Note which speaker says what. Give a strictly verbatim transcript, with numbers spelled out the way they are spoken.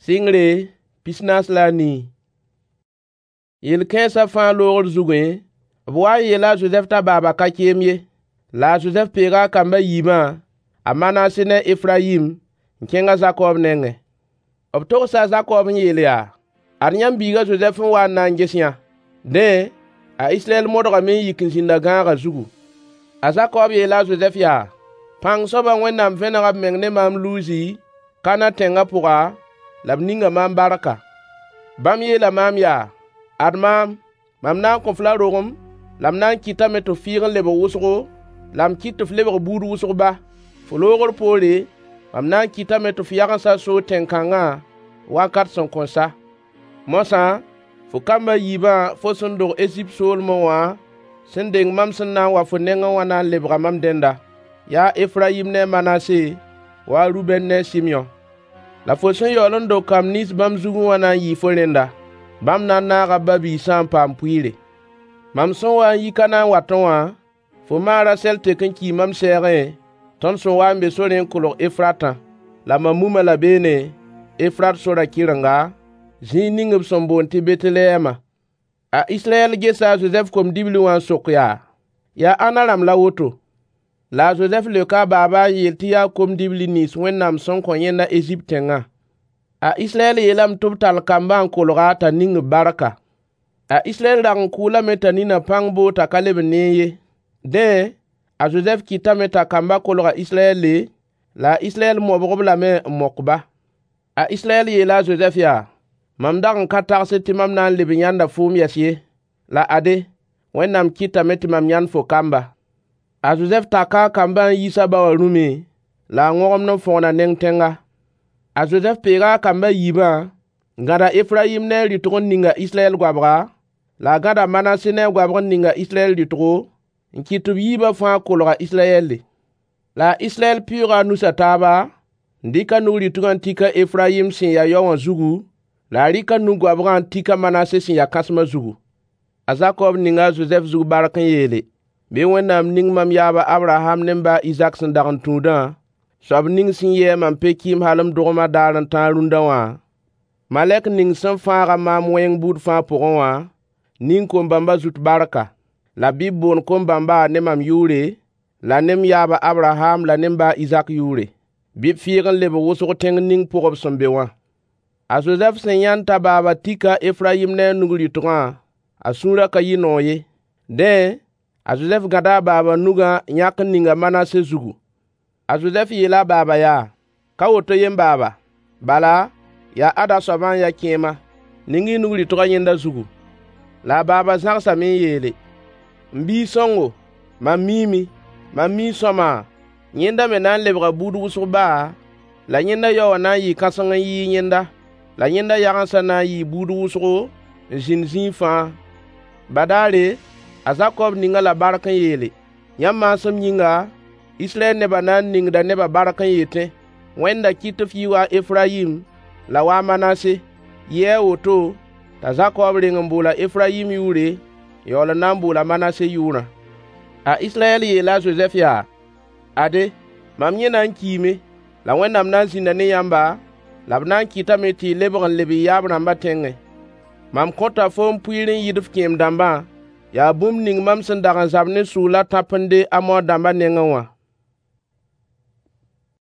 Speaker 1: Sɩngre pis-naas la a nii. Yel-kãensã fãa loogr zugẽ, b waa n yeela a Zozɛf t'a baaba ka keem ye. La a Zozɛf peega a kamb a yiibã, a Manase ne a Efrayim, n kẽng a Zakob nengẽ. B togsa a Zakob n yeel yaa: Ad yãmb biig a Zozɛf n wa n na n ges yã. Dẽ, a Israyɛl modgame n yik n zĩnd a gãagã zugu. A Zakob yeela a Zozɛf yaa: Pãng soabã Wẽnnaam vẽnega b meng ne maam Luzi, Kanã tẽngã pʋga, la b ninga maam barka. Bãmb yeela maam yaa: “Ad maam, mam na n kõ-f la rogem, la m na n kɩtame tɩ f fɩɩg n lebg wʋsgo, la m kɩt tɩ f lebg buud wʋsg ba. Fo loogr poore, mam na n kɩtame tɩ f yagensã soog tẽn-kãngã wakat sẽn kõn sa.” Moasã, fo kamb a yiibã fo sẽn dog Ezipt soolmẽ wã sẽn deng mam sẽn na n wa fo nengẽ wã na n lebga mam dẽnda: Yaa a Efrayim ne a Manase, wa a Rubɛn ne a Sɩmyõ. La fo sẽn yaool n dog kamb nins bãmb zugẽ wã na n yɩɩ fo rẽnda. Bãmb na n naaga b ba-biisã n paam pʋɩɩre. Mam sẽn waa n yi Kanaan watẽ wã, fo ma a Rasɛl tek n kii mam sɛɛgẽ, tõnd sẽn waa n be sorẽ n kolg Efratã. La mam mumã la beene, Efrat sorã kɩrenga, zĩig ning b sẽn boond tɩ Betlehɛmã. A Israyɛl gesa a Zozɛf kom-dibli wã n sok yaa: Yaa ãnna rãmb la woto? La a Zozɛf leoka a baaba n yeel tɩ yaa kom-dibli nins Wẽnnaam sẽn kõ yẽnda Ezipt tẽngã. A Israyɛl yeelame tɩ b tall kambã n kolg-a t'a ning-b barka. A Israyɛl rag n kʋʋlame t'a ninã pãng boog t'a ka leb n neẽ ye. Dẽ, a Zozɛf kɩtame t'a kambã kolg a Israyɛle, la a Israyɛl mobg-b lame n mok-ba. A Israyɛl yeela a Zozɛf yaa: Mam dag n ka tagsd tɩ mam na n leb n yãnda foom yɛs ye. La ade, Wẽnnaam kɩtame tɩ mam yãnd fo kamba. A Zozɛf taka a kambã n yiis a ba wã rũmẽ, la a wõgemd n fõgna neng tẽnga. A Zozɛf peega a kamb a yiibã, n gãd a Efrayim ne a rɩtg n ning a Israyɛl goabga, la a gãd a Manase ne a goabg n ning a Israyɛl rɩtgo, n kɩt tɩ b yiibã fãa kolg a Israyɛle. La a Israyɛl pɩʋʋga a nus a taaba, n dɩk a nug rɩtgã n tik a Efrayim sẽn ya yao wã zugu, la a rɩk a nu-goabgã n tik a Manase sẽn ya kãsmã zugu. A Zakob ninga a Zozɛf zug bark n yeele: Bɩ Wẽnnaam ning mam yaab a Abraham ne m ba a Izak sẽn dag n tũudã, soab ning sẽn yɩ-a mam pe-kɩɩm hal m dogmã daar n tãag rũndã wã, malɛk ning sẽn fãag-a maam wẽng buud fãa pʋgẽ wã, ning kom-bãmbã zut barka. La bɩ b boond kom-bãmba ne mam yʋʋre, la ne m yaab a Abraham la ne m ba a Izak yʋʋre. Bɩ b fɩɩg n lebg wʋsg tẽng ning pʋg b sẽn be wã. A Zozɛf sẽn yãnd t'a baaba tika a Efrayim ne a nug rɩtgã, a sũurã ka yɩ noog ye. Dẽ, a Zozɛf gãda a baaba nugã n yãk n ning a Manase zugu. A Zozɛf yeela a baaba yaa: Ka woto ye m baaba, bala, yaa ada soabã n ya kẽema. Ning-y y nug rɩtgã yẽnda zugu. La a baaba zãgsame n yeele: M biig-sõngo, mam miime, mam mii sõama, yẽnda me na n lebga buud wʋsg ba, la yẽnda yao wã na n yɩɩ kãseng n yɩɩg yẽnda, la yẽnda yagensã na n yɩɩ buud wʋsgo n zĩnd zĩig fãa. Badaare, a Zakob ning-a la bark n yeele: Yãmb maasem yĩnga, Israyɛl nebã na n ningda nebã bark n yetẽ: Wẽnda kɩt tɩ f yɩ wa a Efrayim la wa a Manase. Yɩɩ a woto t'a Zakob reng n bool a Efrayim yʋʋre n yaool n na n bool a Manase yʋʋrã. A Israyɛl yeela a Zozɛf yaa: Ade, mam yẽna n kiime, la Wẽnnaam na n zĩnda ne yãmba, la b na n kɩtame tɩ y lebg n leb y yaab-rãmbã tẽngẽ. Mam kõta foom pʋɩɩr n yɩɩd f kẽem-dãmbã, yaa bũmb ning mam sẽn dag n zab ne sʋʋl a tãpende Amor dãmbã nengẽ wã.